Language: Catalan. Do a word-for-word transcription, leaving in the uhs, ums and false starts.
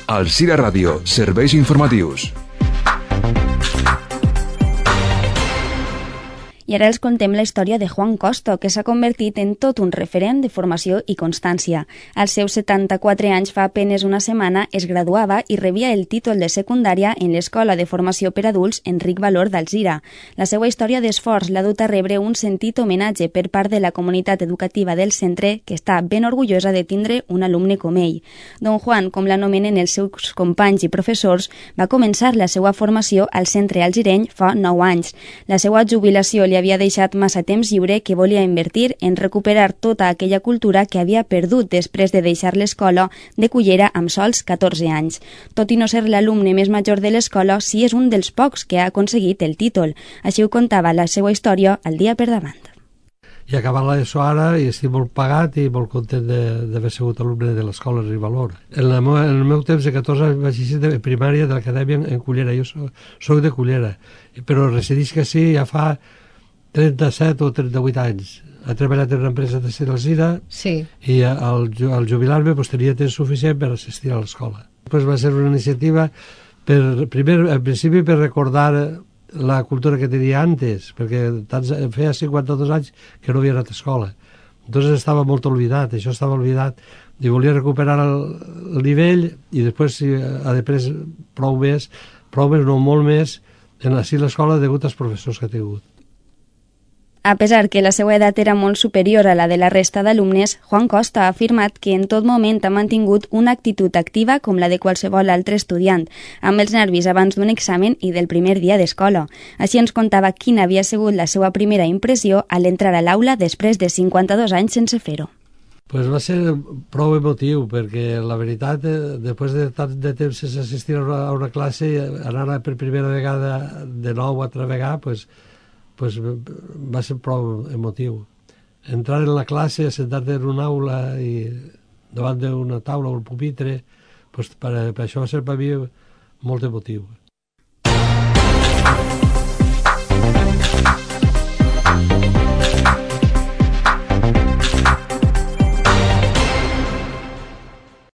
Alzira Ràdio, serveis informatius. I ara els contem la història de Juan Costo, que s'ha convertit en tot un referent de formació i constància. Als seus setanta-quatre anys, fa apenes una setmana, es graduava i rebia el títol de secundària en l'Escola de Formació per Adults Enric Valor d'Alzira. La seva història d'esforç l'ha dut a rebre un sentit homenatge per part de la comunitat educativa del centre, que està ben orgullosa de tindre un alumne com ell. Don Juan, com l'anomenen els seus companys i professors, va començar la seva formació al centre alzireny fa nou anys. La seva jubilació li havia deixat massa temps lliure que volia invertir en recuperar tota aquella cultura que havia perdut després de deixar l'escola de Cullera amb sols catorze anys. Tot i no ser l'alumne més major de l'escola, sí és un dels pocs que ha aconseguit el títol. Així ho contava la seva història al dia per davant. I acabat l'ESO ara i estic molt pagat i molt content d'haver sigut alumne de l'escola Enric Valor. En, la meu, en el meu temps de catorze anys vaig eixir de primària de l'acadèmia en Cullera. Jo soc, soc de Cullera, però residisc així ja fa trenta-set o trenta-vuit anys. He treballat en una empresa de Alzira sí. i al, al jubilar-me pues, tenia temps suficient per assistir a l'escola. Pues, va ser una iniciativa, per, primer, en principi per recordar la cultura que tenia antes, perquè tants, feia cinquanta-dos anys que no havia anat a escola. Entonces estava molt oblidat, això estava oblidat, i volia recuperar el, el nivell i després, si ha de pres prou més, prou més, no molt més, en així l'escola degut als professors que ha tingut. A pesar que la seva edat era molt superior a la de la resta d'alumnes, Juan Costa ha afirmat que en tot moment ha mantingut una actitud activa com la de qualsevol altre estudiant, amb els nervis abans d'un examen i del primer dia d'escola. Així ens contava quina havia sigut la seva primera impressió a l'entrar a l'aula després de cinquanta-dos anys sense fer-ho. Pues va ser prou emotiu, perquè la veritat, després de tant de temps sense assistir a una, a una classe, anar per primera vegada de nou a altra vegada, pues, pues va ser prou emotiu. Entrar en la classe, sentar-te en una aula i davant d'una taula o un pupitre, pues per, per això va ser per mi molt emotiu.